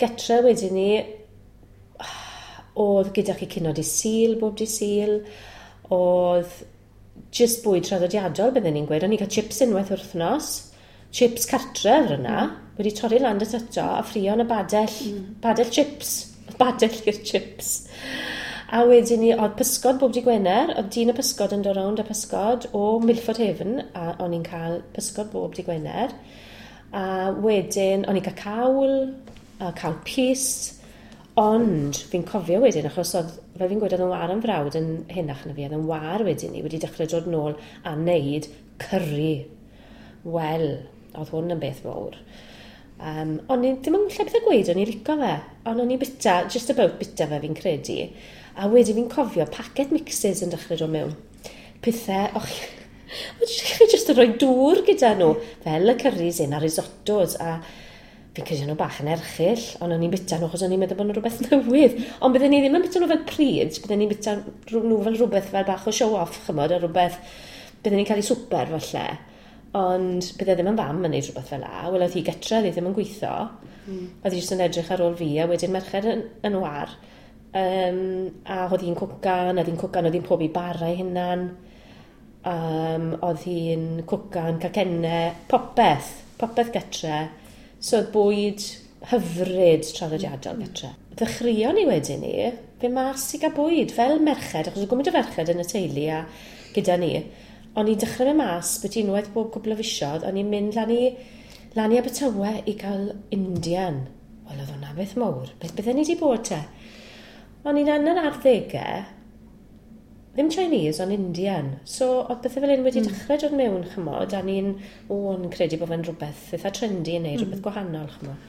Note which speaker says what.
Speaker 1: Getre wedyn ni, oedd gyda chi cinio dydd Sul, bob dydd Sul, oedd jyst bwyd traddodiadol, bydden ni'n gweud. O'n i'n cael chips unwaith wythnos, chips cartref yna, wedi torri lan dy tato a ffrio yn y badell, badell chips, badell i'r chips. A wedyn ni, oedd pysgod bob dydd Gwener, oedd dyn y pysgod yn dod rownd a pysgod o Milford Haven, a o'n i'n cael pysgod bob dydd Gwener. A wedyn, o'n i'n cael cawl, a cawl pys, ond fi'n cofio wedyn, achos oedd, fel fi'n gweud, oedd yn war yn frawd yn henach na fi, oedd yn war wedyn ni, wedi dechrau dod nôl a wneud curry. Wel, oedd hwn yn beth mawr. O'n i ddim yn lle beth o gweud, o'n i'n licio fe, ond o'n i'n bita, just about bita fe fi'n credu. A wedyn fi'n cofio packet mixes yn dechrau dod mewn. Pethau, och, chi jyst yn rhoi dŵr gyda nhw, fel y curries un a risottos, a fi'n credu nhw bach yn erchyll, ond o'n i'n bita nhw achos o'n i'n meddwl bod nhw rhywbeth newydd. Ond bydden ni ddim yn bita nhw fel pryd, bydden ni'n bita nhw fel rhywbeth fel bach o show-off, chymod, a rhywbeth, bydden ni'n cael ei swper falle. Ond bydde ddim yn fam yn neud rhywbeth fel la. Wel, oedd hi getre, oedd hi ddim yn gweithio. Oedd hi jyst yn edrych ar ôl fi, a wedyn merched yn war. A oedd hi'n cwcan, oedd hi'n cwcan, oedd hi'n pobi bara ei hunan. Oedd hi'n cwcan, cacennau, popeth, popeth getre. So oedd bwyd hyfryd traddodiadol getre. Ddechreuon ni wedyn ni, fe mas i gael bwyd fel merched, achos oedd gymaint o ferched yn y teulu a gyda ni. O'n i'n dechrau fe mas, beth unwaith bob cwpl o fisoedd, o'n i'n mynd lan i Abertawe i gael Indian. Wel, oedd hwnna beth mawr. Beth bydden ni wedi bod te? O'n i'n yn yr arddegau, ddim Chinese, ond Indian. So, oedd bethau fel hyn wedi dechrau dod mewn, chymod, a ni'n, o, o'n credu bod fe'n rhywbeth eitha trendy yn neud, rhywbeth gwahanol, chymod.